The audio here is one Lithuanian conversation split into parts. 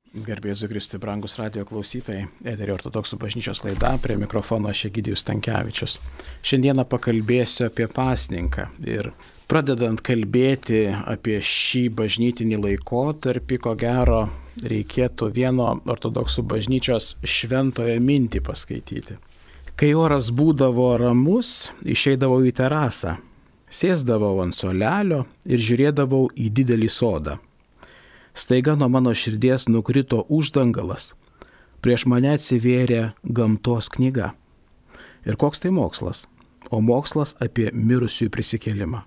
Garbė Jėzui Kristui, brangus radijo klausytojai, Eterio ortodoksų bažnyčios laida, prie mikrofono aš Egidijus Stankevičius. Šiandieną pakalbėsiu apie pasninką ir pradedant kalbėti apie šį bažnytinį laikotarpį, ko gero reikėtų vieno ortodoksų bažnyčios šventojo mintį paskaityti. Kai oras būdavo ramus, išeidavau į terasą, sėsdavau ant suolelio ir žiūrėdavau į didelį sodą. Staiga nuo mano širdies nukrito uždangalas, prieš mane atsivėrė gamtos knyga. Ir koks tai mokslas? O mokslas apie mirusiųjų prisikėlimą.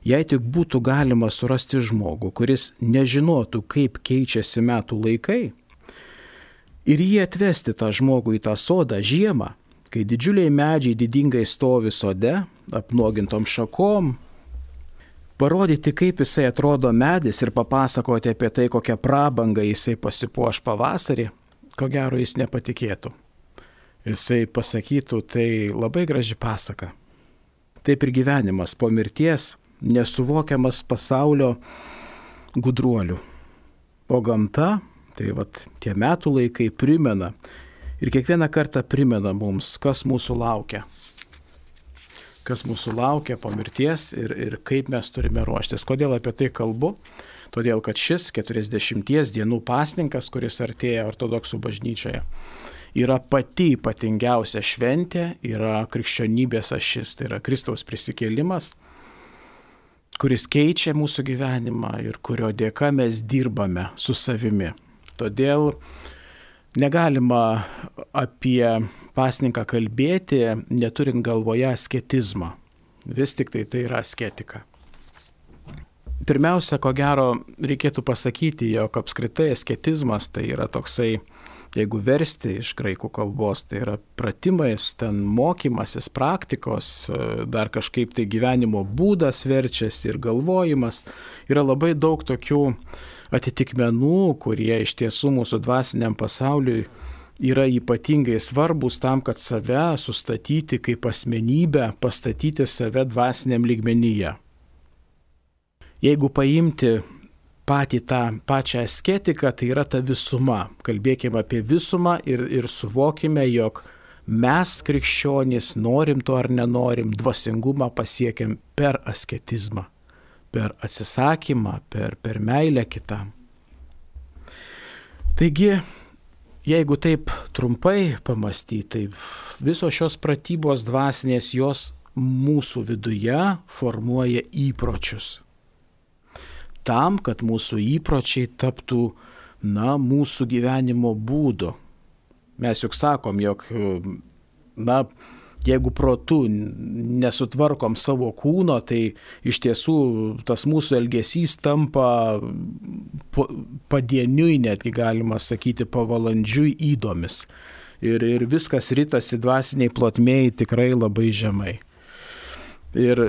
Jei tik būtų galima surasti žmogų, kuris nežinotų, kaip keičiasi metų laikai, ir jį atvesti tą žmogų į tą sodą žiemą, kai didžiuliai medžiai didingai stovi sode, apnuogintom šakom, parodyti, kaip jisai atrodo medis ir papasakoti apie tai, kokią prabangą jisai pasipuoš pavasarį, ko gero jis nepatikėtų. Jisai pasakytų, tai labai graži pasaka. Taip ir gyvenimas po mirties nesuvokiamas pasaulio gudruolių. O gamta, tai tie metų laikai primena ir kiekvieną kartą primena mums, kas mūsų laukia. Kas mūsų laukia po mirties ir kaip mes turime ruoštis. Kodėl apie tai kalbu? Todėl, kad šis 40 dienų pasninkas, kuris artėja ortodoksų bažnyčioje, yra pati ypatingiausia šventė, yra krikščionybės ašis, tai yra Kristaus prisikėlimas, kuris keičia mūsų gyvenimą ir kurio dėka mes dirbame su savimi. Todėl negalima apie pasninką kalbėti, neturint galvoje asketizmą. Vis tik tai yra asketika. Pirmiausia, ko gero, reikėtų pasakyti, jog apskritai asketizmas tai yra toksai, jeigu versti iš graikų kalbos, tai yra pratimais, ten mokymasis, praktikos, dar kažkaip tai gyvenimo būdas verčiasi ir galvojimas. Yra labai daug tokių atitikmenų, kurie iš tiesų mūsų dvasiniam pasauliui yra ypatingai svarbus tam, kad save sustatyti kaip asmenybę, pastatyti save dvasiniam lygmenyje. Jeigu paimti pačią asketiką, tai yra ta visuma. Kalbėkime apie visumą ir suvokime, jog mes krikščionys, norim to ar nenorim, dvasingumą pasiekiam per asketizmą, per atsisakymą, per meilę kitam. Taigi, jeigu taip trumpai pamastyti, tai visos šios pratybos dvasinės, jos mūsų viduje formuoja įpročius. Tam, kad mūsų įpročiai taptų, mūsų gyvenimo būdu. Mes juk sakom, jog, jeigu protu nesutvarkom savo kūno, tai iš tiesų tas mūsų elgesys tampa padieniui, netgi galima sakyti, pavalandžiui įdomis. Ir viskas ritasi dvasiniai plotmėj tikrai labai žemai. Ir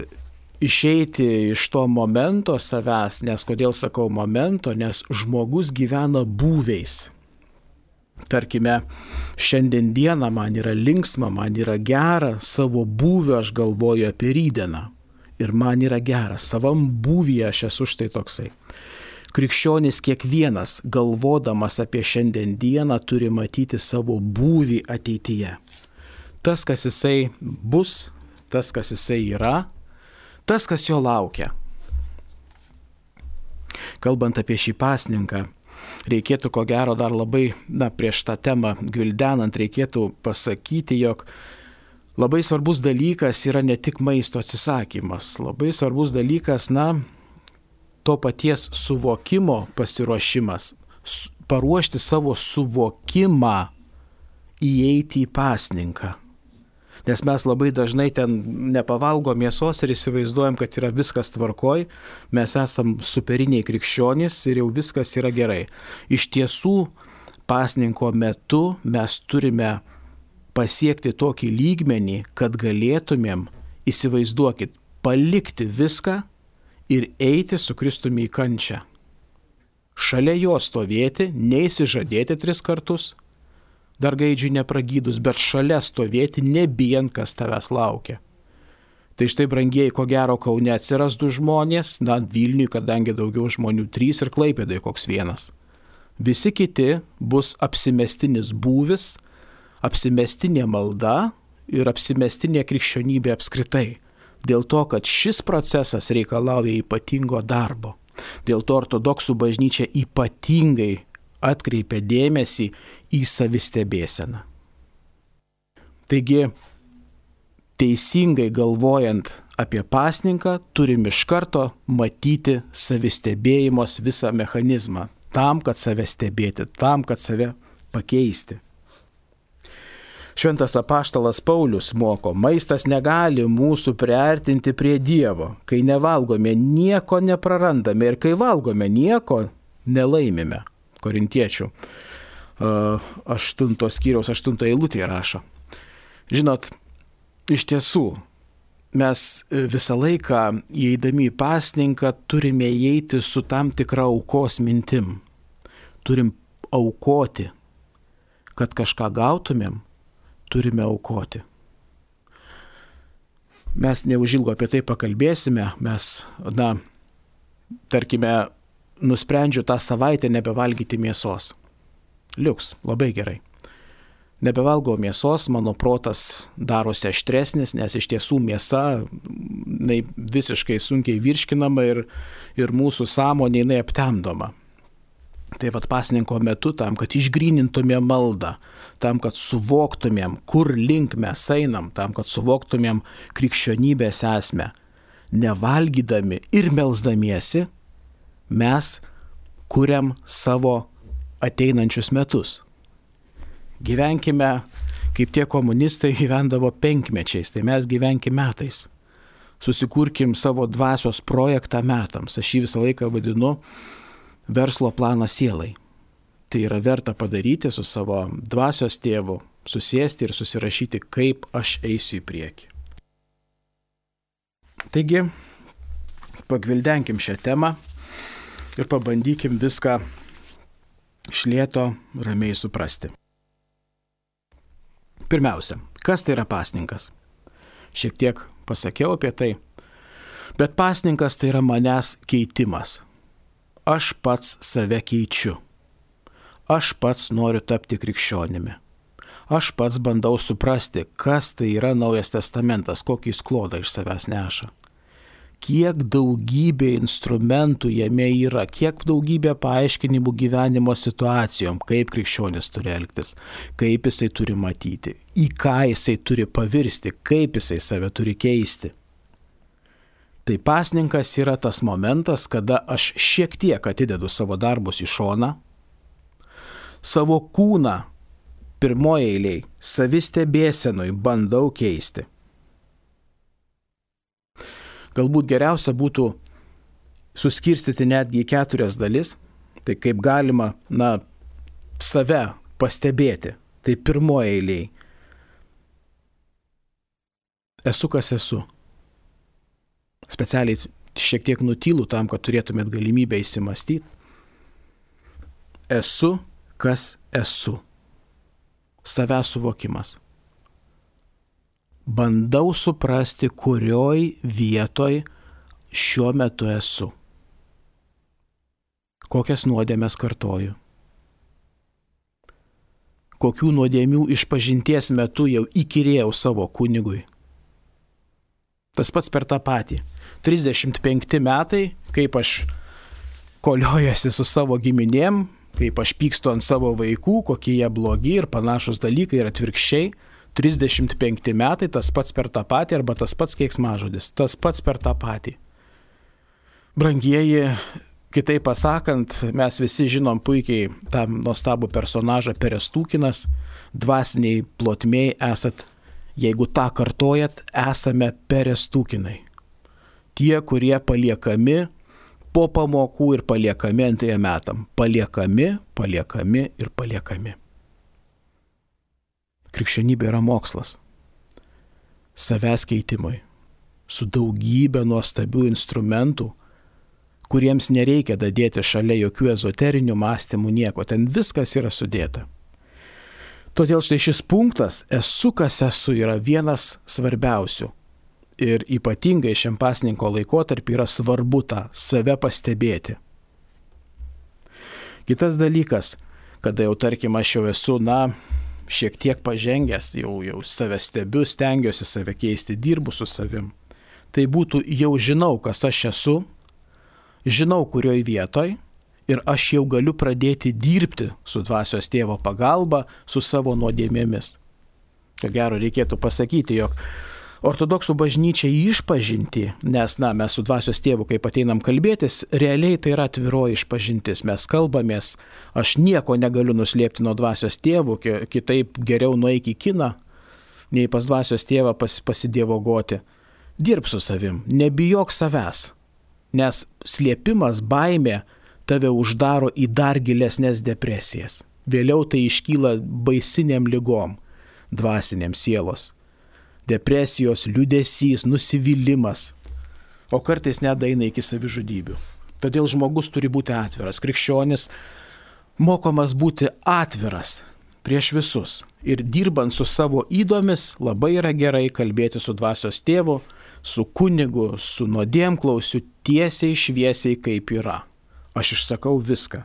išeiti iš to momento savęs, nes kodėl sakau momento, nes žmogus gyvena būviais. Tarkime, šiandien dieną man yra linksma, man yra gera, savo būvio aš galvoju apie rytdieną. Ir man yra gera, savam būvyje aš esu štai toksai. Krikščionis kiekvienas, galvodamas apie šiandien dieną, turi matyti savo būvį ateityje. Tas, kas jisai bus, tas, kas jisai yra, tas, kas jo laukia. Kalbant apie šį pasninką, reikėtų ko gero dar labai, prieš tą temą gvildenant, reikėtų pasakyti, jog labai svarbus dalykas yra ne tik maisto atsisakymas. Labai svarbus dalykas, to paties suvokimo pasiruošimas. Paruošti savo suvokimą įeiti į pasninką. Nes mes labai dažnai ten nepavalgom mėsos ir įsivaizduojam, kad yra viskas tvarkoj, mes esam superiniai krikščionys ir jau viskas yra gerai. Iš tiesų, pasninko metu mes turime pasiekti tokį lygmenį, kad galėtumėm, įsivaizduokit, palikti viską ir eiti su Kristumi į kančią. Šalia jo stovėti, neįsižadėti 3 kartus, dar gaidžiui nepragydus, bet šalia stovėti, nebijant, kas tavęs laukia. Tai štai, brangieji, ko gero Kaune atsiras 2 žmonės, Vilniui, kadangi daugiau žmonių 3 ir Klaipėdai koks 1. Visi kiti bus apsimestinis būvis, apsimestinė malda ir apsimestinė krikščionybė apskritai. Dėl to, kad šis procesas reikalauja ypatingo darbo. Dėl to ortodoksų bažnyčia ypatingai atkreipia dėmesį į savistebėseną. Taigi, teisingai galvojant apie pasninką, turim iš karto matyti savistebėjimos visą mechanizmą, tam, kad save stebėti, tam, kad save pakeisti. Šventas apaštalas Paulius moko, maistas negali mūsų priartinti prie Dievo. Kai nevalgome, nieko neprarandame ir kai valgome, nieko nelaimime. Korintiečių 8 skyriaus 8 eilutėje rašo. Žinot, iš tiesų, mes visą laiką įeidami į pasninką turime įeiti su tam tikra aukos mintim. Turim aukoti, kad kažką gautumėm. Turime aukoti. Mes neužilgo apie tai pakalbėsime, tarkime, nusprendžiu tą savaitę nebevalgyti mėsos. Liuks, labai gerai. Nebevalgau mėsos, mano protas darosi aštresnis, nes iš tiesų mėsa visiškai sunkiai virškinama ir mūsų sąmonė aptemdoma. Tai pasninko metu, tam, kad išgrynintumėm maldą, tam, kad suvoktumėm, kur link mes einam, tam, kad suvoktumėm krikščionybės esmę, nevalgydami ir melsdamiesi, mes kuriam savo ateinančius metus. Gyvenkime, kaip tie komunistai gyvendavo 5 mečiais, tai mes gyvenkim metais. Susikurkim savo dvasios projektą metams. Aš jį visą laiką vadinu verslo planą sielai. Tai yra verta padaryti su savo dvasios tėvu, susėsti ir susirašyti, kaip aš eisiu į priekį. Taigi, pagvildenkim šią temą ir pabandykim viską iš lėto ramiai suprasti. Pirmiausia, kas tai yra pasninkas? Šiek tiek pasakiau apie tai, bet pasninkas tai yra manęs keitimas. Aš pats save keičiu. Aš pats noriu tapti krikščionimi. Aš pats bandau suprasti, kas tai yra Naujas testamentas, kokį jis klodą iš savęs neša. Kiek daugybė instrumentų jame yra, kiek daugybė paaiškinimų gyvenimo situacijom, kaip krikščionis turi elgtis, kaip jisai turi matyti, į ką jisai turi pavirsti, kaip jisai save turi keisti. Tai pasninkas yra tas momentas, kada aš šiek tiek atidedu savo darbus į šoną, savo kūną pirmoje eilėje savistebėsenoj bandau keisti. Galbūt geriausia būtų suskirstyti netgi į 4 dalis, tai kaip galima, save pastebėti. Tai pirmoje eilėje esu, kas esu. Specialiai šiek tiek nutylu tam, kad turėtumėt galimybę įsimastyti. Esu, kas esu. Savęs suvokimas. Bandau suprasti, kurioj vietoj šiuo metu esu. Kokias nuodėmes kartoju. Kokių nuodėmių išpažinties metu jau įkyrėjau savo kunigui. Tas pats per tą patį. 35 metai, kaip aš koliojasi su savo giminėm, kaip aš pykstu ant savo vaikų, kokie jie blogi ir panašus dalykai ir atvirkščiai. 35 metai, tas pats per tą patį arba tas pats keiksmažodis, tas pats per tą patį. Brangieji, kitaip pasakant, mes visi žinom puikiai tą nuostabų personažą Perestūkinas, dvasiniai plotmėj esat. Jeigu tą kartojat, esame Perestūkinai. Tie, kurie paliekami po pamokų ir paliekami antriem metam. Paliekami ir paliekami. Krikščionybė yra mokslas. Savęs keitimui. Su daugybė nuostabių instrumentų, kuriems nereikia dadėti šalia jokių ezoterinių mąstymų nieko. Ten viskas yra sudėta. Todėl štai šis punktas, esu, kas esu, yra vienas svarbiausių. Ir ypatingai šiam pasninko laikotarpį yra svarbu tą save pastebėti. Kitas dalykas, kada jau tarkim aš jau esu, šiek tiek pažengęs, jau save stebiu, stengiuosi save keisti, dirbu su savim. Tai būtų jau žinau, kas aš esu, žinau, kurioj vietoj ir aš jau galiu pradėti dirbti su dvasios tėvo pagalba, su savo nuodėmėmis. Ko gero reikėtų pasakyti, jog ortodoksų bažnyčia išpažinti, nes mes su dvasios tėvu, kaip ateinam kalbėtis, realiai tai yra atviroji išpažintis. Mes kalbamės, aš nieko negaliu nuslėpti nuo dvasios tėvų, kitaip geriau nueik į kiną, nei pas dvasios tėvą pasidievogoti. Dirb su savim, nebijok savęs, nes slėpimas, baimė tave uždaro į dar gilesnės depresijas. Vėliau tai iškyla baisiniam ligom, dvasiniam sielos. Depresijos, liūdesys, nusivylimas, o kartais net eina iki savižudybių. Todėl žmogus turi būti atviras. Krikščionis mokomas būti atviras prieš visus. Ir dirbant su savo ydomis labai yra gerai kalbėti su dvasios tėvu, su kunigu, su nuodėmklausiu tiesiai šviesiai kaip yra. Aš išsakau viską.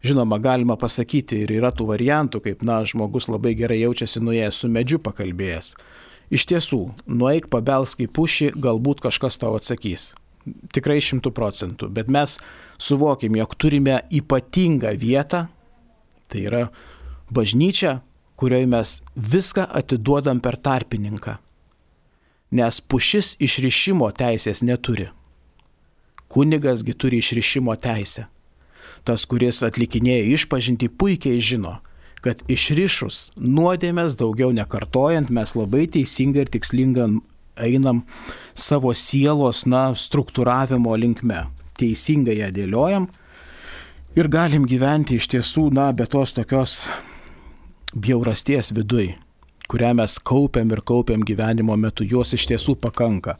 Žinoma, galima pasakyti ir yra tų variantų, kaip, žmogus labai gerai jaučiasi nuėjęs su medžiu pakalbėjęs. Iš tiesų, nueik pabelsk į pušį, galbūt kažkas tau atsakys. Tikrai 100%, bet mes suvokim, jog turime ypatingą vietą, tai yra bažnyčia, kurioje mes viską atiduodam per tarpininką. Nes pušis išrišimo teisės neturi. Kunigasgi turi išrišimo teisę. Tas, kuris atlikinėja išpažintį, puikiai žino, kad išrišus nuodėmės daugiau nekartojant, mes labai teisingai ir tikslingai einam savo sielos struktūravimo linkme. Teisingai ją dėliojam ir galim gyventi iš tiesų, be tos tokios bjaurasties viduj, kurią mes kaupiam gyvenimo metu, jos iš tiesų pakanka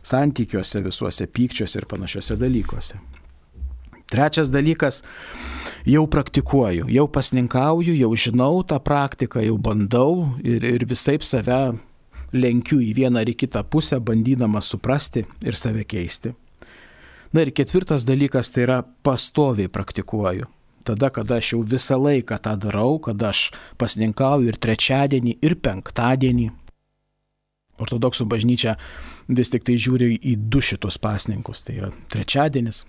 santykiuose, visuose pykčiuose ir panašiuose dalykuose. Trečias dalykas, jau praktikuoju, jau pasninkauju, jau žinau tą praktiką, jau bandau ir visaip save lenkiu į vieną ar į kitą pusę, bandydamas suprasti ir save keisti. Ir ketvirtas dalykas, tai yra pastoviai praktikuoju. Tada, kada aš jau visą laiką tą darau, kada aš pasninkauju ir trečiadienį, ir penktadienį. Ortodoksų bažnyčia vis tik tai žiūri į du šitus pasninkus, tai yra trečiadienis.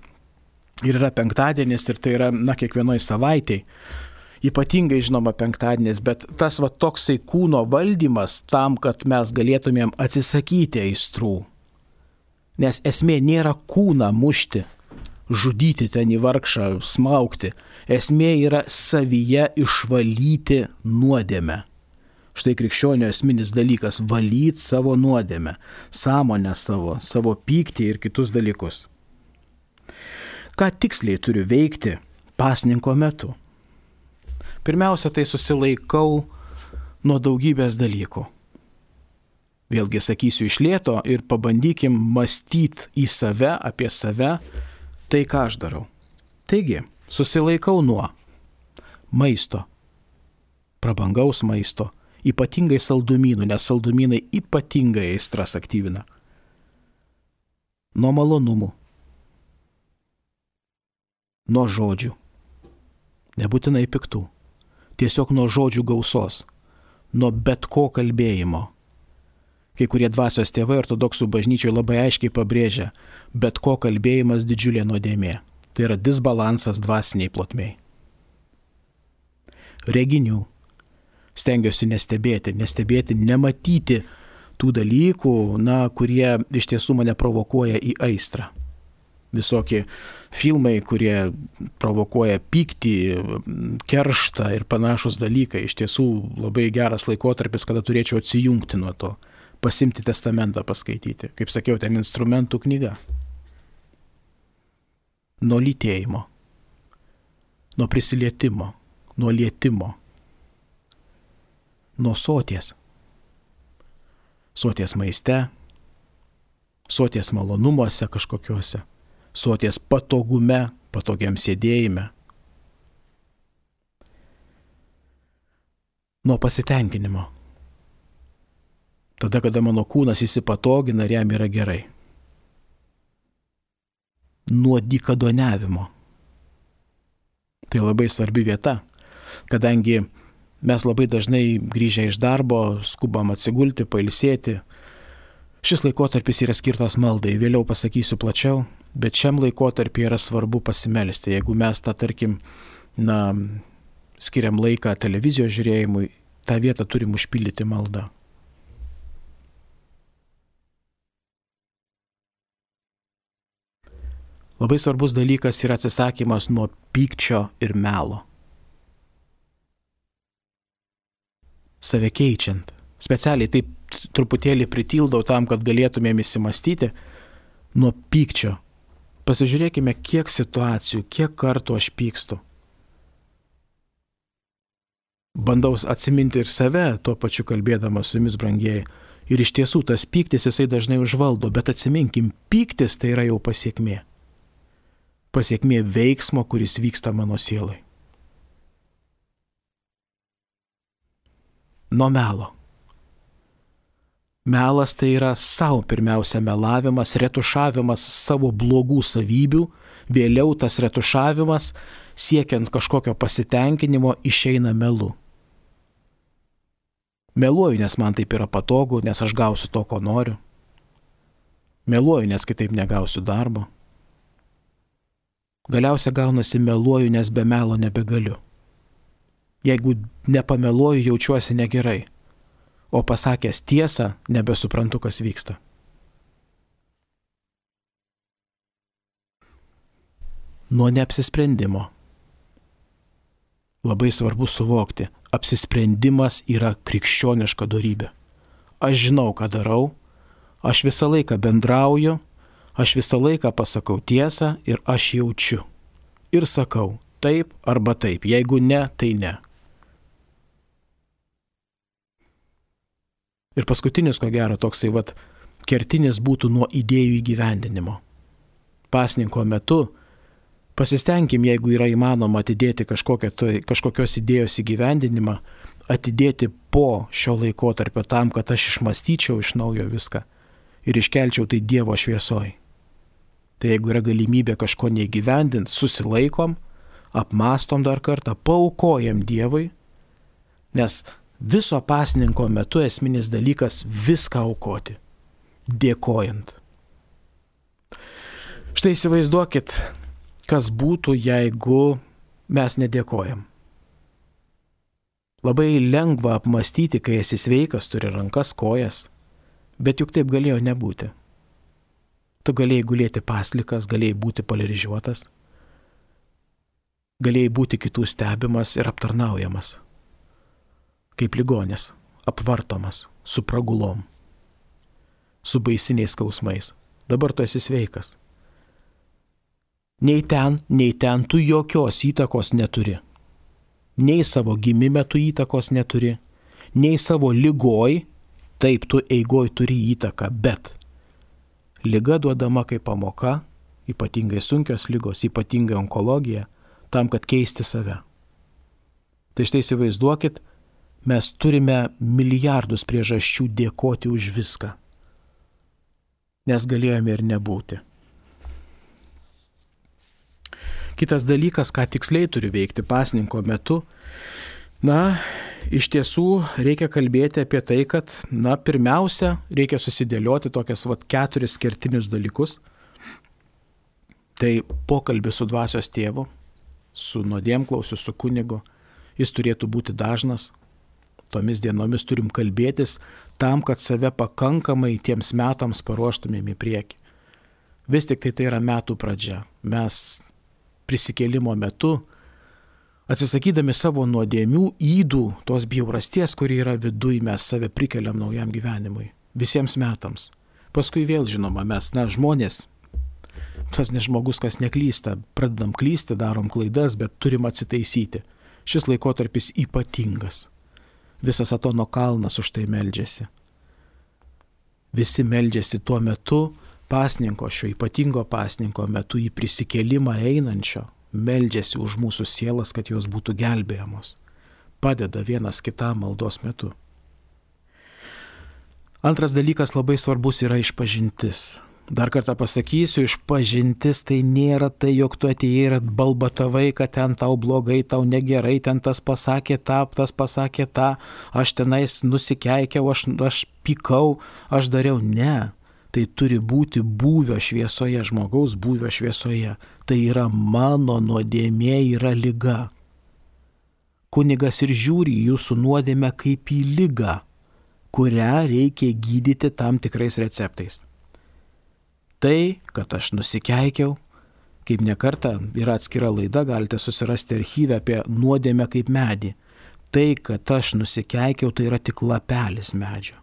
Ir yra penktadienis ir tai yra, kiekvienoj savaitėj. Ypatingai žinoma penktadienis, bet tas toksai kūno valdymas tam, kad mes galėtumėm atsisakyti aistrų. Nes esmė nėra kūną mušti, žudyti ten į vargšą, smaugti. Esmė yra savyje išvalyti nuodėmę. Štai krikščionio esminis dalykas – valyti savo nuodėmę, sąmonę savo pyktį ir kitus dalykus. Ką tiksliai turiu veikti pasninko metu? Pirmiausia, tai susilaikau nuo daugybės dalykų. Vėlgi sakysiu iš lėto ir pabandykim mąstyti į save, apie save, tai ką aš darau. Taigi, susilaikau nuo maisto, prabangaus maisto, ypatingai saldumynų, nes saldumynai ypatingai aistras aktyvina. Nuo malonumų, nuo žodžių, nebūtinai piktų, tiesiog nuo žodžių gausos, nuo bet ko kalbėjimo. Kai kurie dvasios tėvai ortodoksų bažnyčioje labai aiškiai pabrėžia, bet ko kalbėjimas didžiulė nuodėmė. Tai yra disbalansas dvasiniai plotmei. Reginių. Stengiuosi nestebėti, nematyti tų dalykų, kurie iš tiesų mane provokuoja į aistrą. Visokie filmai, kurie provokuoja pyktį, kerštą ir panašus dalykai. Iš tiesų labai geras laikotarpis, kada turėčiau atsijungti nuo to, pasimti testamentą paskaityti. Kaip sakiau, ten instrumentų knyga. Nuo lytėjimo, nuo prisilietimo, nuo lietimo. Nuo soties. Soties maiste, soties malonumuose kažkokiuose, soties patogume, patogiam sėdėjime. Nuo pasitenkinimo. Tada, kada mano kūnas įsipatogina ir jam yra gerai. Nuo dykaduoniavimo. Tai labai svarbi vieta, kadangi mes labai dažnai grįžę iš darbo skubam atsigulti, pailsėti. Šis laikotarpis yra skirtas maldai, vėliau pasakysiu plačiau, bet šiam laikotarpį yra svarbu pasimelsti. Jeigu mes tą, tarkim, skiriam laiką televizijos žiūrėjimui, tą vietą turim užpildyti maldą. Labai svarbus dalykas yra atsisakymas nuo pykčio ir melo. Save keičiant. Specialiai taip truputėlį pritildau tam, kad galėtumėm įsimastyti nuo pykčio. Pasižiūrėkime, kiek situacijų, kiek kartų aš pykstu. Bandau atsiminti ir save, tuo pačiu kalbėdamas su jumis, brangieji. Ir iš tiesų tas pyktis jisai dažnai užvaldo, bet atsiminkim, pyktis tai yra jau pasiekmė. Pasiekmė veiksmo, kuris vyksta mano sielai. Nuo melo. Melas tai yra savo pirmiausia melavimas, retušavimas savo blogų savybių, vėliau tas retušavimas, siekiant kažkokio pasitenkinimo, išeina melu. Meluoju, nes man taip yra patogu, nes aš gausiu to, ko noriu. Meluoju, nes kitaip negausiu darbo. Galiausia gaunasi meluoju, nes be melo nebegaliu. Jeigu nepameluoju, jaučiuosi negerai, o pasakęs tiesą, nebesuprantu, kas vyksta. Nuo neapsisprendimo. Labai svarbu suvokti, apsisprendimas yra krikščioniška dorybė. Aš žinau, ką darau, aš visą laiką bendrauju, aš visą laiką pasakau tiesą ir aš jaučiu. Ir sakau taip arba taip, jeigu ne, tai ne. Ir paskutinis, ko gero, toksai kertinis būtų nuo idėjų įgyvendinimo. Pasninko metu pasistengim, jeigu yra įmanoma atidėti kažkokios idėjos įgyvendinimą, atidėti po šio laikotarpio tam, kad aš išmąstyčiau iš naujo viską ir iškelčiau tai Dievo šviesoj. Tai jeigu yra galimybė kažko neįgyvendinti, susilaikom, apmastom dar kartą, paaukojam Dievui, nes viso pasninko metu esminis dalykas viską aukoti, dėkojant. Štai įsivaizduokit, kas būtų, jeigu mes nedėkojam. Labai lengva apmastyti, kai esi sveikas, turi rankas, kojas, bet juk taip galėjo nebūti. Tu galėjai gulėti paslikas, galėjai būti paralyžiuotas, galėjai būti kitų stebimas ir aptarnaujamas, kaip ligonis, apvartomas, su pragulom, su baisiniais skausmais. Dabar tu esi sveikas. Nei ten tu jokios įtakos neturi. Nei savo gimime tu įtakos neturi, nei savo ligoj, taip tu eigoj turi įtaką, bet liga duodama kaip pamoka, ypatingai sunkios ligos, ypatingai onkologija, tam, kad keisti save. Tai štai įsivaizduokit, mes turime milijardus priežasčių dėkoti už viską, nes galėjome ir nebūti. Kitas dalykas, ką tiksliai turi veikti pasninko metu, iš tiesų reikia kalbėti apie tai, kad, pirmiausia, reikia susidėlioti tokias 4 kertinius dalykus. Tai pokalbis su dvasios tėvu, su nuodėmklausiu, su kunigu, jis turėtų būti dažnas. Tomis dienomis turim kalbėtis tam, kad save pakankamai tiems metams paruoštumėm į priekį. Vis tik tai yra metų pradžia. Mes prisikėlimo metu, atsisakydami savo nuodėmių, ydų, tos bjaurasties, kuri yra viduj, mes save prikeliam naujam gyvenimui. Visiems metams. Paskui vėl, žinoma, mes, žmonės, tas ne žmogus, kas neklysta, pradedam klysti, darom klaidas, bet turim atsitaisyti. Šis laikotarpis ypatingas. Visas Atono kalnas už tai meldžiasi. Visi meldžiasi tuo metu, pasninko, šio ypatingo pasninko metu, į prisikėlimą einančio, meldžiasi už mūsų sielas, kad jos būtų gelbėjamos. Padeda vienas kitam maldos metu. Antras dalykas labai svarbus yra išpažintis. Dar kartą pasakysiu, išpažintis tai nėra tai, jog tu atėjai ir balbatavai, kad ten tau blogai, tau negerai, ten tas pasakė tą, aš tenais nusikeikiau, aš pykau, aš dariau. Ne, tai turi būti būvio šviesoje, žmogaus būvio šviesoje. Tai yra mano nuodėmė, yra liga. Kunigas ir žiūri jūsų nuodėmę kaip į ligą, kurią reikia gydyti tam tikrais receptais. Tai, kad aš nusikeikiau, kaip nekartą yra atskira laida, galite susirasti archyvę apie nuodėmę kaip medį. Tai, kad aš nusikeikiau, tai yra tik lapelis medžio.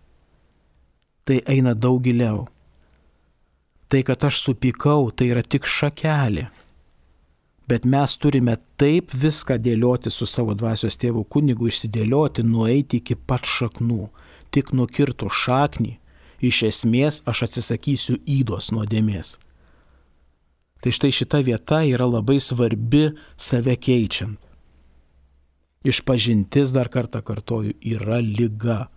Tai eina daug giliau. Tai, kad aš supykau, tai yra tik šakelė. Bet mes turime taip viską dėlioti su savo dvasios tėvu kunigu, išsidėlioti, nueiti iki pat šaknų. Tik nukirtų šaknį, iš esmės aš atsisakysiu ydos nuodėmės. Tai štai šita vieta yra labai svarbi save keičiant. Išpažintis, dar kartą kartoju, yra liga.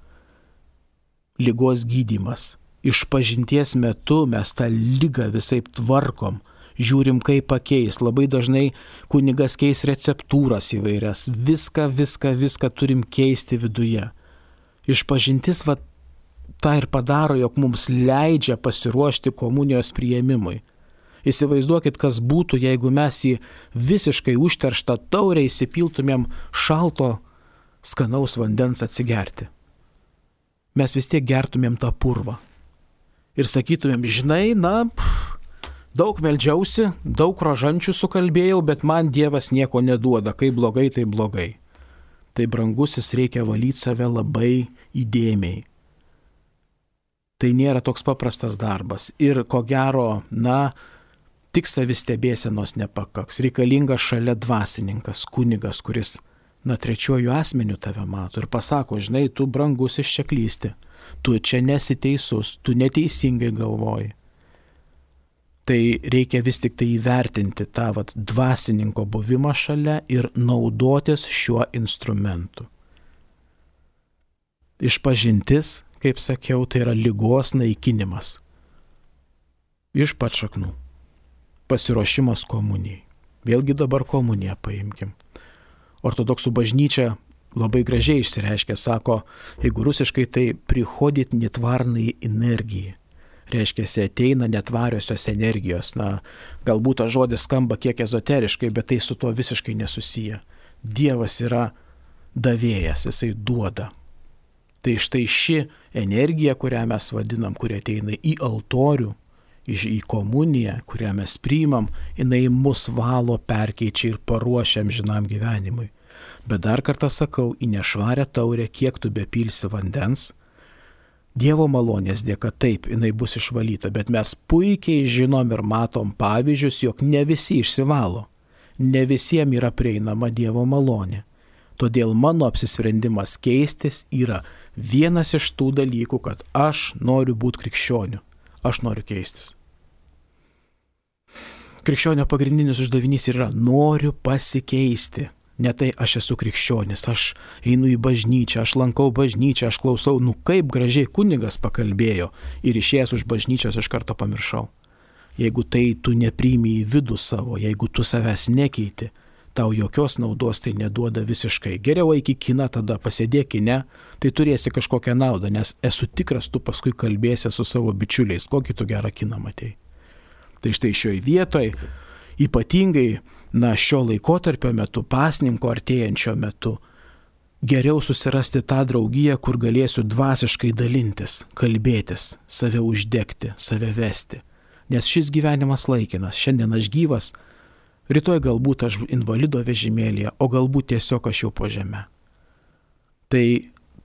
Ligos gydymas. Išpažinties metu mes tą ligą visaip tvarkom, žiūrim kaip pakeis. Labai dažnai kunigas keis receptūras įvairias. Viską turim keisti viduje. Išpažintis tą ir padaro, jog mums leidžia pasiruošti komunijos priėmimui. Įsivaizduokit, kas būtų, jeigu mes į visiškai užterštą taurę įsipiltumėm šalto, skanaus vandens atsigerti. Mes vis tiek gertumėm tą purvą. Ir sakytumėm, žinai, daug meldžiausi, daug rožančių sukalbėjau, bet man Dievas nieko neduoda, kai blogai, tai blogai. Tai brangusis, reikia valyti save labai įdėmiai. Tai nėra toks paprastas darbas ir ko gero, tik savistebėsenos nepakaks. Reikalingas šalia dvasininkas, kunigas, kuris, trečiuoju asmeniu tave mato ir pasako, žinai, tu brangusis čia klysti, tu čia nesi teisus, tu neteisingai galvoji. Tai reikia vis tik tai įvertinti tą dvasininko buvimą šalia ir naudotis šiuo instrumentu. Išpažintis, kaip sakiau, tai yra ligos naikinimas. Iš pat šaknų. Pasiruošimas komunijai. Vėlgi dabar komuniją paimkim. Ortodoksų bažnyčia labai gražiai išsireiškia, sako, jeigu rusiškai tai prihodit netvarnai energijai. Reiškia, ateina netvariosios energijos. Galbūt tas žodis skamba kiek ezoteriškai, bet tai su tuo visiškai nesusiję. Dievas yra davėjas, jisai duoda. Tai štai ši energija, kurią mes vadinam, kuri ateina į altorių, į komuniją, kurią mes priimam, jinai mus valo, perkeičia ir paruošia amžinam gyvenimui. Bet dar kartą sakau, į nešvarę taurę, kiek tu bepilsi vandens, Dievo malonės dėka taip, jinai bus išvalyta, bet mes puikiai žinom ir matom pavyzdžius, jog ne visi išsivalo, ne visiems yra prieinama Dievo malonė. Todėl mano apsisprendimas keistis yra vienas iš tų dalykų, kad aš noriu būti krikščioniu, aš noriu keistis. Krikščionio pagrindinis uždavinys yra noriu pasikeisti. Ne tai aš esu krikščionis, aš einu į bažnyčią, aš lankau bažnyčią, aš klausau, kaip gražiai kunigas pakalbėjo ir išėjęs už bažnyčios iš karto pamiršau. Jeigu tai tu nepriimi į vidų savo, jeigu tu savęs nekeiti, tau jokios naudos tai neduoda visiškai. Geriau eik į kiną, tada pasėdėk kine, tai turėsi kažkokią naudą, nes esu tikras, tu paskui kalbėsi su savo bičiuliais, kokį tu gerą kiną matei. Tai štai šioje vietoje ypatingai šio laikotarpio metu, pasninko artėjančio metu, geriau susirasti tą draugiją, kur galėsiu dvasiškai dalintis, kalbėtis, save uždegti, save vesti. Nes šis gyvenimas laikinas, šiandien aš gyvas, rytoj galbūt aš invalido vežimėlėje, o galbūt tiesiog aš jau po žeme. Tai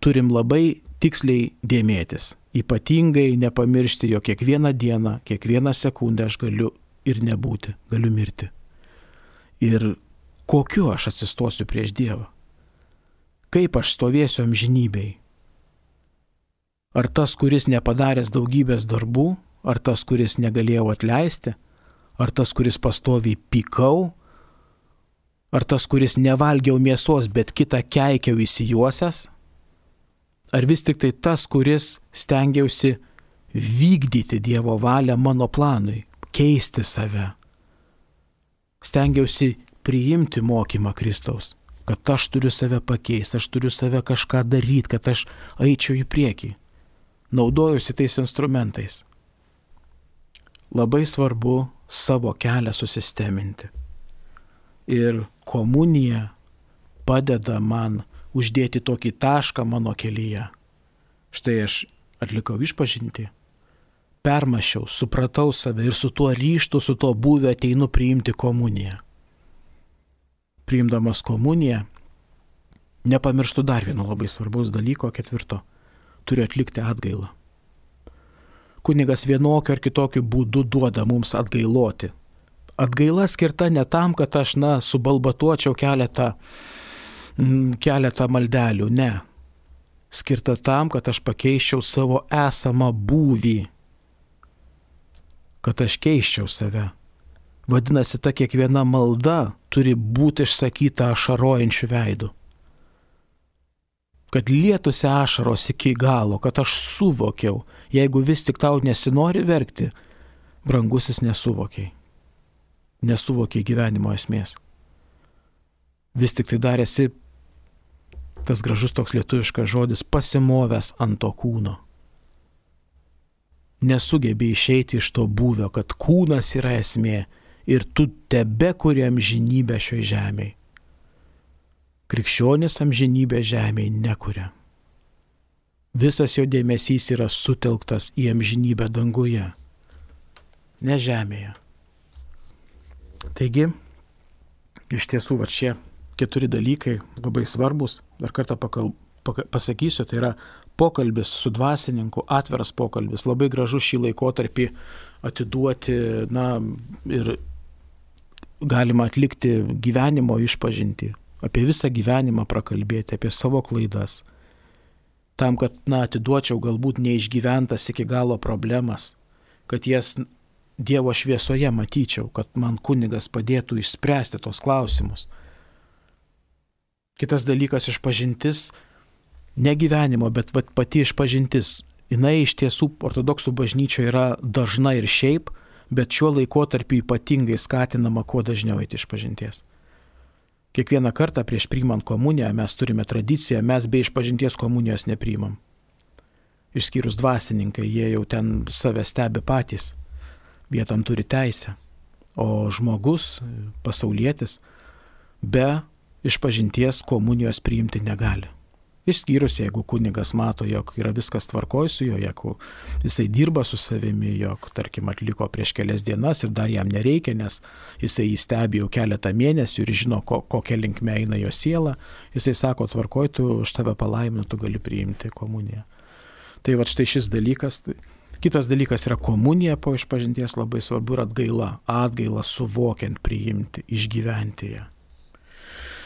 turim labai tiksliai dėmėtis, ypatingai nepamiršti, jog kiekvieną dieną, kiekvieną sekundę aš galiu ir nebūti, galiu mirti. Ir kokiu aš atsistosiu prieš Dievą? Kaip aš stovėsiu amžinybėj? Ar tas, kuris nepadaręs daugybės darbų, ar tas, kuris negalėjau atleisti, ar tas, kuris pastoviai pykau, ar tas, kuris nevalgiau mėsos, bet kitą keikiau įsijuosęs, ar vis tik tai tas, kuris stengiausi vykdyti Dievo valią mano planui, keisti save. Stengiausi priimti mokymą Kristaus, kad aš turiu save pakeisti, aš turiu save kažką daryti, kad aš eičiau į priekį. Naudojusi tais instrumentais. Labai svarbu savo kelią susisteminti. Ir komunija padeda man uždėti tokį tašką mano kelyje. Štai aš atlikau išpažintį, permąsčiau, supratau save ir su tuo ryžtu, su tuo būviu ateinu priimti komuniją. Priimdamas komuniją, nepamirštu dar vieno labai svarbaus dalyko, 4. Turiu atlikti atgailą. Kunigas vienokiu ar kitokiu būdu duoda mums atgailoti. Atgaila skirta ne tam, kad aš, subalbatuočiau keletą maldelių, ne. Skirta tam, kad aš pakeiščiau savo esamą būvį, kad aš keiščiau save. Vadinasi, ta kiekviena malda turi būti išsakyta ašarojančiu veidu. Kad lietųsi ašaros iki galo, kad aš suvokiau, jeigu vis tik tau nesinori verkti, brangusis nesuvokiai. Nesuvokiai gyvenimo esmės. Vis tik tai darėsi tas gražus toks lietuviškas žodis pasimovęs ant to kūno. Nesugebė išeiti iš to būvio, kad kūnas yra esmė ir tu tebekuri amžinybę šioje žemėje. Krikščionis amžinybę žemėje nekuria. Visas jo dėmesys yra sutelktas į amžinybę danguje, ne žemėje. Taigi, iš tiesų, šie 4 dalykai labai svarbus. Dar kartą pasakysiu, tai yra pokalbis su dvasininku, atviras pokalbis. Labai gražu šį laikotarpį atiduoti, ir galima atlikti gyvenimo išpažintį, apie visą gyvenimą prakalbėti, apie savo klaidas. Tam, kad, atiduočiau galbūt neišgyventas iki galo problemas, kad jas Dievo šviesoje matyčiau, kad man kunigas padėtų išspręsti tos klausimus. Kitas dalykas išpažintis, ne gyvenimo, bet pati išpažintis. Jinai iš tiesų ortodoksų bažnyčioje yra dažna ir šiaip, bet šiuo laikotarpiu ypatingai skatinama kuo dažniau eiti išpažinties. Kiekvieną kartą prieš priimant komuniją mes turime tradiciją, mes be išpažinties komunijos nepriimam. Išskyrus dvasininkai, jie jau ten save stebi patys, vietam turi teisę. O žmogus, pasaulietis, be išpažinties komunijos priimti negali. Išskyrus, jeigu kunigas mato, jog yra viskas tvarkoj su juo, jeigu jisai dirba su savimi, jog, tarkim, atliko prieš kelias dienas ir dar jam nereikia, nes jisai įstebi jau keletą mėnesių ir žino, kokia linkme eina jo siela, jisai sako, tvarkoj, tu už tave palaiminu, tu gali priimti komuniją. Tai štai šis dalykas. Kitas dalykas yra komunija po išpažinties, labai svarbu ir atgaila. Atgaila suvokiant, priimti, išgyventi ją.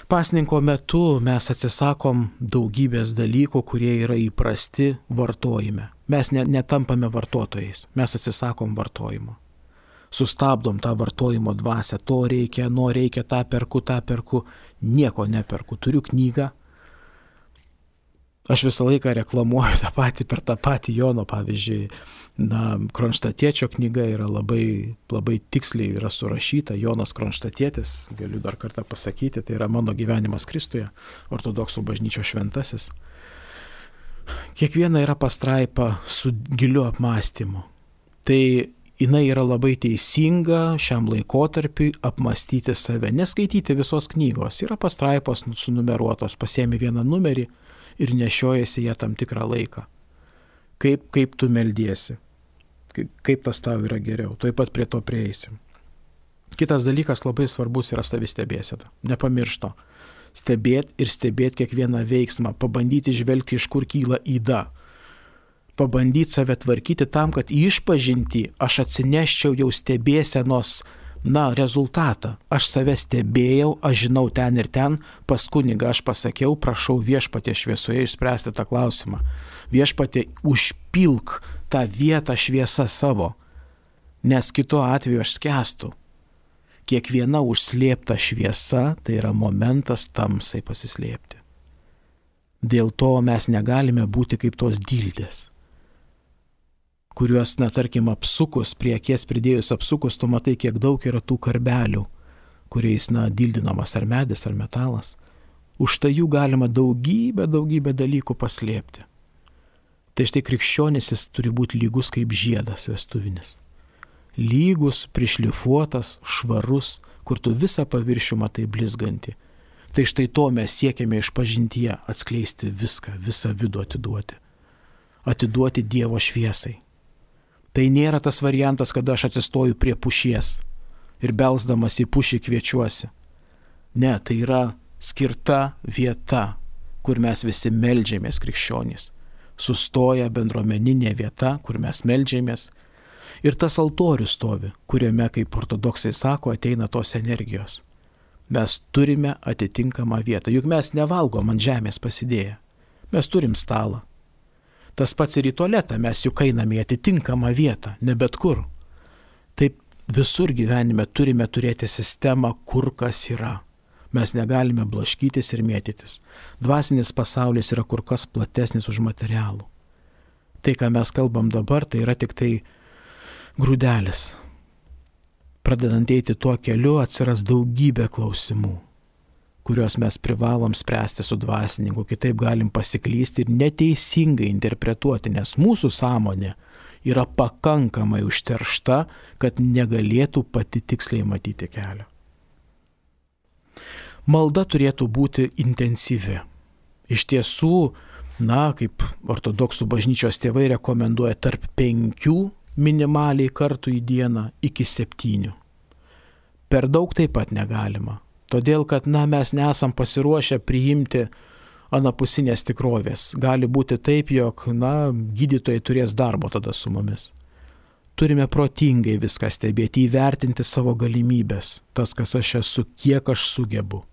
Pasninko metu mes atsisakom daugybės dalykų, kurie yra įprasti vartojime. Mes netampame vartotojais, mes atsisakom vartojimo. Sustabdom tą vartojimo dvasią, to reikia, reikia, tą perku, nieko neperku. Turiu knygą. Aš visą laiką reklamuoju per tą patį Jono, pavyzdžiui, Kronštatiečio knyga yra labai tiksliai yra surašyta, Jonas Kronštatietis, galiu dar kartą pasakyti, tai yra mano gyvenimas Kristuje, ortodoksų bažnyčios šventasis. Kiekviena yra pastraipa su giliu apmąstymu. Tai jinai yra labai teisinga šiam laikotarpiui apmąstyti save, neskaityti visos knygos. Yra pastraipos sunumeruotos, pasiemi vieną numerį ir nešiojasi ją tam tikrą laiką. Kaip tu meldiesi, kaip tas tau yra geriau, tuoj pat prie to prieisim. Kitas dalykas labai svarbus yra savistebėsena. Nepamiršto. Stebėti kiekvieną veiksmą, pabandyti žvelgti, iš kur kyla yda. Pabandyti save tvarkyti tam, kad išpažinti aš atsineščiau jau stebėsenos rezultatą. Aš save stebėjau, aš žinau ten ir ten, pas kunigą aš pasakiau, prašau viešpatie šviesoje išspręsti tą klausimą. Viešpatie užpilk tą vietą šviesą savo, nes kitu atveju aš skęstu. Kiekviena užslėpta šviesa tai yra momentas tamsai pasislėpti. Dėl to mes negalime būti kaip tos dildės, kuriuos, tarkim, apsukus, prie akies pridėjus apsukus, tu matai, kiek daug yra tų karbelių, kuriais, dildinamas ar medis, ar metalas. Už tai jų galima daugybę dalykų paslėpti. Tai štai krikščionis jis turi būti lygus kaip žiedas vestuvinis. Lygus, prišlifuotas, švarus, kur tu visą paviršių matai blizgantį. Tai štai to mes siekiame išpažintyje atskleisti viską, visą vidų atiduoti. Atiduoti Dievo šviesai. Tai nėra tas variantas, kada aš atsistoju prie pušies ir belsdamas į pušį kviečiuosi. Ne, tai yra skirta vieta, kur mes visi meldžiamės krikščionys. Sustoja bendruomeninė vieta, kur mes meldžiamės. Ir tas altorius stovi, kuriame, kaip ortodoksai sako, ateina tos energijos. Mes turime atitinkamą vietą. Juk mes nevalgom ant žemės pasidėję. Mes turim stalą. Tas pats ir į tualetą, mes juk einame į atitinkamą vietą, ne bet kur. Taip visur gyvenime turime turėti sistemą, kur kas yra. Mes negalime blaškytis ir mėtytis. Dvasinis pasaulis yra kur kas platesnis už materialų. Tai, ką mes kalbam dabar, tai yra tik tai grūdelis. Pradedant eiti tuo keliu, atsiras daugybė klausimų, kuriuos mes privalom spręsti su dvasininku, kitaip galim pasiklysti ir neteisingai interpretuoti, nes mūsų sąmonė yra pakankamai užteršta, kad negalėtų pati tiksliai matyti kelią. Malda turėtų būti intensyvi. Iš tiesų, kaip ortodoksų bažnyčios tėvai rekomenduoja tarp 5 minimaliai kartų į dieną iki 7. Per daug taip pat negalima. Todėl, kad mes nesam pasiruošę priimti anapusinės tikrovės. Gali būti taip, jog gydytojai turės darbo tada su mumis. Turime protingai viską stebėti, įvertinti savo galimybės. Tas, kas aš esu, kiek aš sugebu.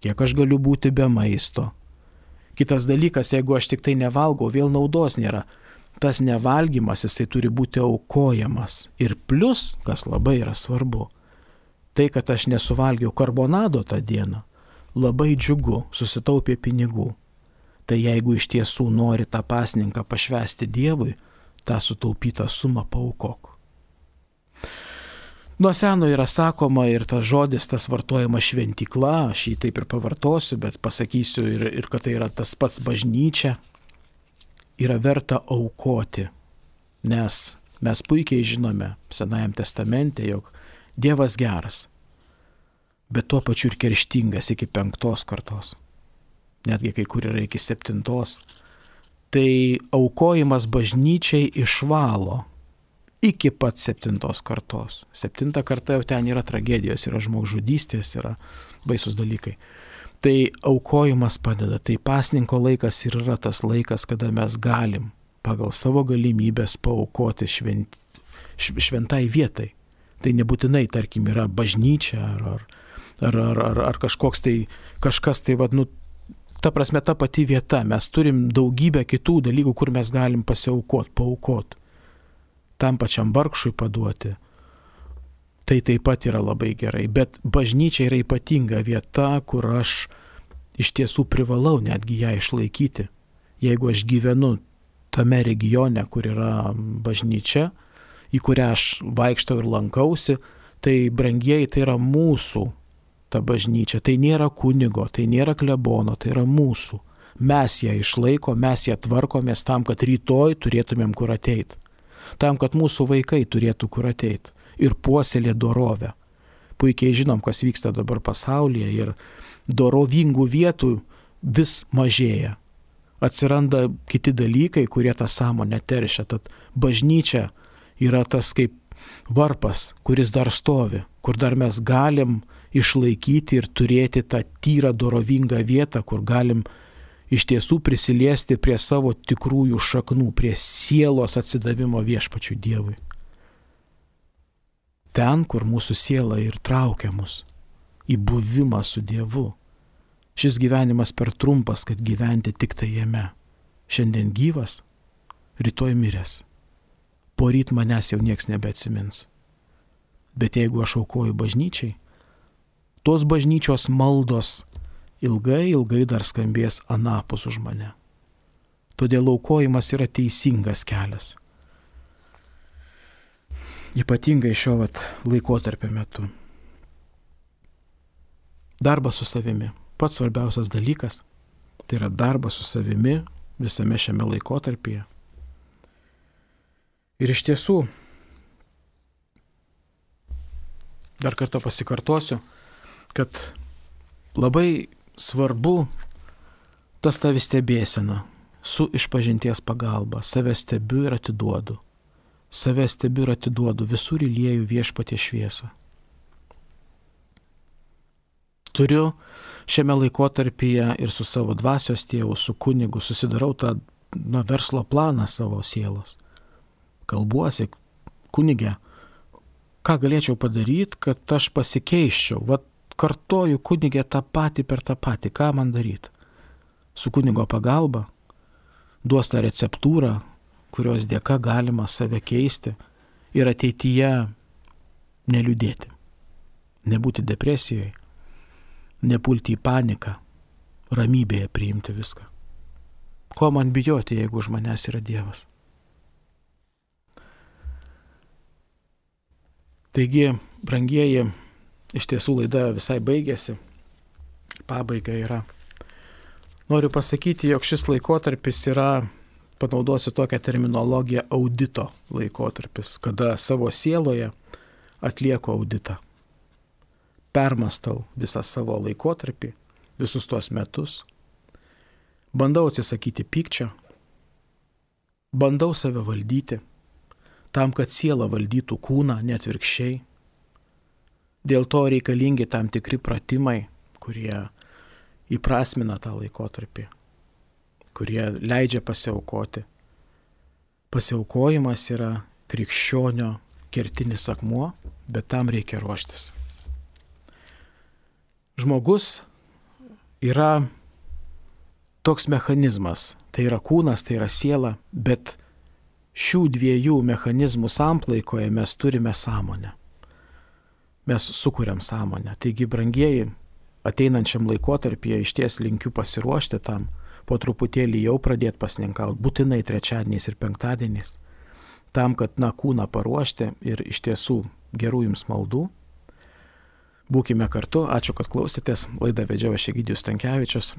Kiek aš galiu būti be maisto. Kitas dalykas, jeigu aš tik tai nevalgau, vėl naudos nėra. Tas nevalgymas, jisai turi būti aukojamas. Ir plus, kas labai yra svarbu, tai, kad aš nesuvalgiau karbonado tą dieną, labai džiugu, susitaupė pinigų. Tai jeigu iš tiesų nori tą pasninką pašvęsti Dievui, tą sutaupytą sumą paaukok. Nuo seno yra sakoma ir tas žodis, tas vartojamas šventykla, aš jį taip ir pavartosiu, bet pasakysiu ir kad tai yra tas pats bažnyčia, yra verta aukoti, nes mes puikiai žinome Senajam testamente, jog Dievas geras, bet tuo pačiu ir kerštingas iki 5 kartos, netgi kai kur yra iki 7. Tai aukojimas bažnyčiai išvalo iki pat 7 kartos. 7 karta jau ten yra tragedijos, yra žmogžudystės, yra baisus dalykai. Tai aukojimas padeda, tai pasninko laikas ir yra tas laikas, kada mes galim pagal savo galimybės paaukoti šventai vietai. Tai nebūtinai, tarkim, yra bažnyčia ar kažkoks tai, kažkas tai, ta prasme, ta pati vieta. Mes turim daugybę kitų dalykų, kur mes galim paaukoti. Tam pačiam vargšui paduoti. Tai taip pat yra labai gerai. Bet bažnyčia yra ypatinga vieta, kur aš iš tiesų privalau netgi ją išlaikyti. Jeigu aš gyvenu tame regione, kur yra bažnyčia, į kurią aš vaikštau ir lankausi, tai brangieji, tai yra mūsų ta bažnyčia. Tai nėra kunigo, tai nėra klebono, tai yra mūsų. Mes ją išlaiko, mes ją tvarkomės tam, kad rytoj turėtumėm kur ateiti. Tam, kad mūsų vaikai turėtų kur ateiti ir puoselė dorovę. Puikiai žinom, kas vyksta dabar pasaulyje ir dorovingų vietų vis mažėja. Atsiranda kiti dalykai, kurie tą sąmonę teršia. Tad bažnyčia yra tas kaip varpas, kuris dar stovi, kur dar mes galim išlaikyti ir turėti tą tyrą dorovingą vietą, kur galim iš tiesų prisiliesti prie savo tikrųjų šaknų, prie sielos atsidavimo viešpačiui Dievui. Ten, kur mūsų siela ir traukia mus į buvimą su Dievu. Šis gyvenimas per trumpas, kad gyventi tik tai jame. Šiandien gyvas, rytoj miręs. Poryt manęs jau nieks nebeatsimins. Bet jeigu aš aukoju bažnyčiai, tos bažnyčios maldos ilgai dar skambės anapus už mane. Todėl aukojimas yra teisingas kelias. ypatingai šio laikotarpio metu. Darbas su savimi. Pats svarbiausias dalykas tai yra darbas su savimi visame šiame laikotarpyje. Ir iš tiesų, dar kartą pasikartosiu, kad labai svarbu tas tavi stebėsena su išpažinties pagalba. Save stebiu ir atiduodu. Save stebiu ir atiduodu, visur įlieju Viešpaties šviesą. Turiu šiame laikotarpyje ir su savo dvasios tėvu, su kunigu, susidarau tą verslo planą savo sielos. Kalbuosi, kunige, ką galėčiau padaryti, kad aš pasikeiščiau. Kartoju kunige tą patį per tą patį, ką man daryti. Su kunigo pagalba duos tą receptūrą, kurios dėka galima save keisti ir ateityje neliūdėti, nebūti depresijoje, nepulti į paniką, ramybėje priimti viską. Ko man bijoti, jeigu už manęs yra Dievas? Taigi, brangieji, iš tiesų laida visai baigėsi, pabaiga yra. Noriu pasakyti, jog šis laikotarpis yra, panaudosiu tokią terminologiją, audito laikotarpis, kada savo sieloje atlieku auditą. Permastau visą savo laikotarpį, visus tuos metus, bandau atsisakyti pykčio, bandau save valdyti, tam, kad siela valdytų kūną, net atvirkščiai. Dėl to reikalingi tam tikri pratimai, kurie įprasmina tą laikotarpį, kurie leidžia pasiaukoti. Pasiaukojimas yra krikščionio kertinis akmuo, bet tam reikia ruoštis. Žmogus yra toks mechanizmas, tai yra kūnas, tai yra siela, bet šių dviejų mechanizmų samplaikoje mes turime sąmonę. Mes sukuriam sąmonę. Taigi, brangieji, ateinančiam laikotarpyje išties linkiu pasiruošti tam, po truputėlį jau pradėti pasninkauti, būtinai trečiadieniais ir penktadieniais, tam, kad kūną paruošti ir iš tiesų gerų jums maldų. Būkime kartu, ačiū, kad klausėtės, laidą vedžiau aš Egidijus Stankevičius,